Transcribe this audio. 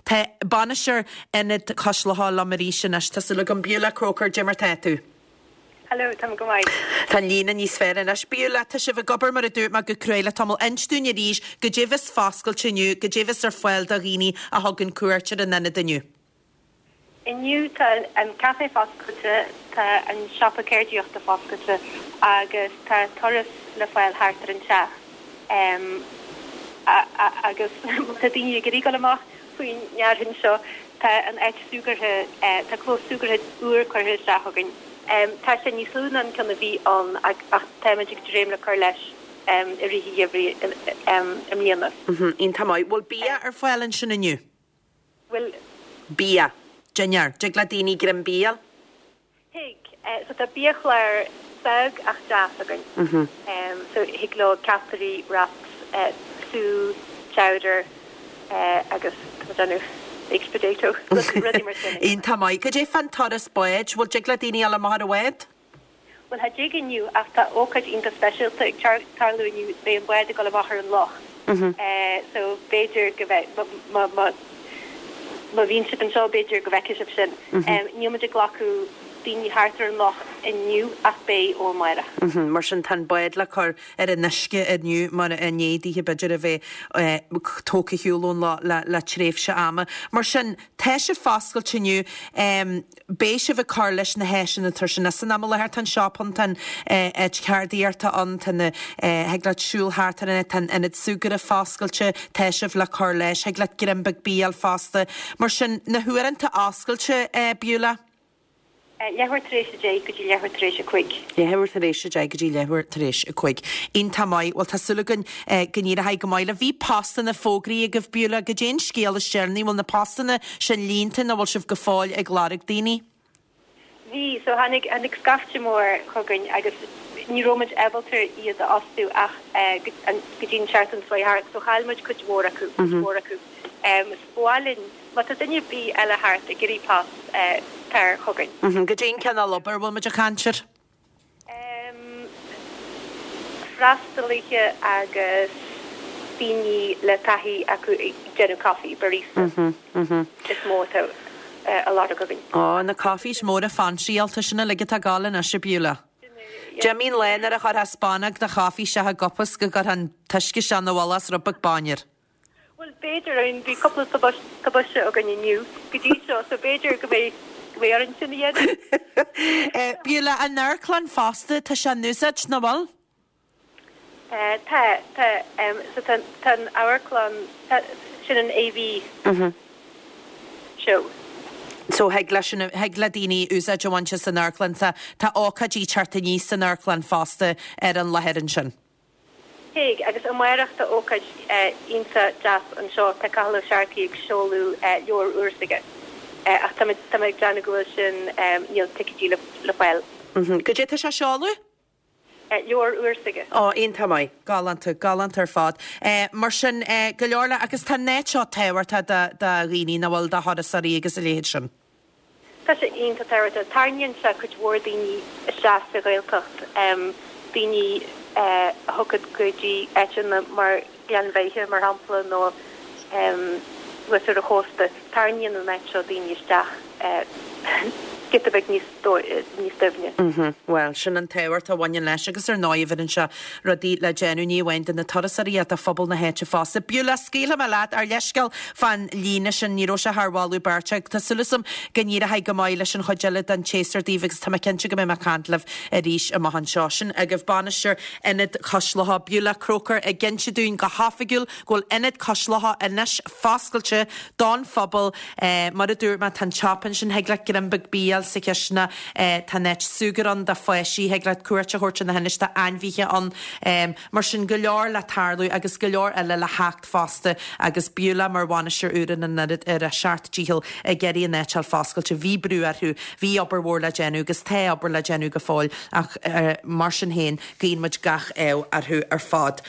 Tá bainisteoir Ionad Cois Locha liom arís anois. Tá súil agam. Beulah Croker, cad é mar tá tú? Hello, tá mé go maith. Tá an líne níos fearr anois. Beulah, tá sibh ag obair mar a dúirt mé go cruaidh le tamall. Inis dúinn arís goidé bheas foscailte inniu, goidé bheas ar fáil do dhaoine a thugann cuairt ar an ionad inniu. Inniu tá an caifé foscailte, tá an siopa ceardaíochta foscailte agus tá turas le fáil thart ar an teach. Agus má tá daoine ag iarraidh dul amach faoin fhearthainn seo, tá an áit súgartha, tá clós súgartha úr curtha isteach againn. Tá sé níos lú ná an ceann a bhí ann ach táimid ag dréim le cur leis i rith an gheimhridh i mbliana. Iontach maith. Bhfuil bia ar fáil ansin inniu? Bhfuil. Bia. Dinnéar. Dtig le daoine greim bia a fháil? Thig. So tá biachlár beag ach deas againn. So thig leo ceapairí, wraps, sú, chowder agus tá mé ag déanamh baked potato, rudaí mar sin. Iontach maith. Cad é fán turas báid? Bhfuil dtig le daoine dul amach ar an bhád? Bhuel cha dtig inniu ach tá ócáid iontach speisialta ag tarlú inniu, beidh an bád ag dul amach ar an loch. So b'fhéidir go mbeidh, má, má, má bhíonn sibh anseo b'fhéidir go bhfeicfidh sibh sin. Níl muid ag glacadh daoine thart ar an loch inniu ach beidh ó amárach. Mar sin tá an bád le cur ar an uisce inniu mar i ndiaidh daoithe b'fhéidir a bheith tógtha ar shiúl ón loch le tréimhse ama. Mar sin tá sibh foscailte inniu. Beidh sibh ag cur leis na háiseanna atá ansin san am i láthair. Tá an siopa ann, tá an áit cheardaíochta ann, tá na, thig leat siúl thart ar an áit, tá an ionad súgartha foscailte, tá sibh le cur leis, thig leat greim beag bia a fháil fosta. Mar sin, na huaireanta oscailte, Beulah? Leathuair tar éis a deich go dtí leathuair tar éis a cuig. Leathuair tar éis a deich go dtí leathuair tar éis a cuig. Iontach maith. Bhuel, tá súil againn go n-éireoidh go maith libh. Bhí postanna fógraithe agaibh, Beulah. Goidé an scéal is deireanaí? Bhfuil na postanna sin líonta nó bhfuil sibh go fóill ag lorg daoine? Bhí, so tháinig, tháinig scaifte mór chugainn agus ní raibh muid ábalta iad a fhostú ach go dtí an tseachtain seo chuaigh thart, so chaill muid cuid mhór acu, cuid mhór acu. So ba mhaith linn, má tá duine ar bith eile thart ag iarraidh post, tar chugainn. Goidé an cineál obair a bhfuil muid ag caint air? Freastalaithe agus daoine le taithí acu ag déanamh caife, barista, is mó atá á lorg againn. Ó, na coffees móra fancy-áilte sin uilig atá ag gabháil anois, a Beulah. D'imigh an lá nuair a chuirfeá spúnóg de chaife isteach i gcupa 's go gcuirfeá an t-uisce isteach ina mhullach 's rud beag bainne air. Bhuel, b'fhéidir, I mean, bhí cúpla tubaiste againn inniu go dtí seo, so b'fhéidir go mbeidh, go mbeidh orainn sin a dhéanamh. Beulah, an amharclann fosta, tá sé in úsáid, nach bhfuil? Tá, tá, so tá, tá an amharclann, tá, sin an AV show. So thig leis sin, thig le daoine úsáid a bhaint as an amharclann, tá, tá ócáidí ag teacht aníos san amharclann fosta ar an láthair ansin. Thig, agus amárach tá ócáid iontach deas anseo, tá Cathal Ó Searcaigh ag seoladh leabhar úr s'aige. Ach tá mé tá mé ag déanamh go bhfuil sin, níl ticéidí le le fáil. Goidé tá sé a seoladh? Leabhar úr s'aige. Ó, iontach maith. Galánta, galánta ar fad. Mar sin, go leor le, agus tá an áit seo tábhachtach do do dhaoine, nach bhfuil, do thurasóirí agus a leithéid sin. Tá sé iontach tábhachtach. Tarraingíonn sé cuid mhór daoine isteach sa Ghaeltacht, daoine a thiocfadh go dtí áiteanna mar Ghleann Bheithe, mar shampla, nó thuas ar an chósta. Tarraingíonn an áit seo daoine isteach giota beag níos doimhne. Bhuel, sin an tábhacht a bhaineann leis agus ar ndóigh bheireann sé rudaí le déanamh, ní amháin do na turasóirí ach do phobal na háite fosta. Beulah, scaoilfidh mé leat, ár leithscéal fán líne sin, ní raibh sé thar mholadh beirte. Tá súil agam go n-éireoidh go maith leis an chuid eile den tséasúr daoibh agus tá mé cinnte go mbeidh mé ag caint libh arís amach anseo. Sin agaibh bainisteoir Ionad Cois Locha, Beulah Croker, ag inse dúinn go hoifigiúil go bhfuil Ionad Cois Locha anois foscailte don phobal. Mar a dúirt mé, tá an tsiopa ansin, thig leat greim beag bia a fháil sa chisteanach, tá an áit súgartha ann do pháistí, thig leat cuairt a thabhairt ar na hainis, tá ainmhithe ann. Mar sin, go leor le tarlú agus go leor eile le theacht fosta agus Beulah mar bhainisteoir úr ar an ionad ar a seacht dícheall ag iarraidh an áit a fháil foscailte. Bhí brú orthu, bhí obair mhór le déanamh agus tá obair le déanamh go fóill ach mar sin féin, guíonn muid gach ádh orthu ar fad.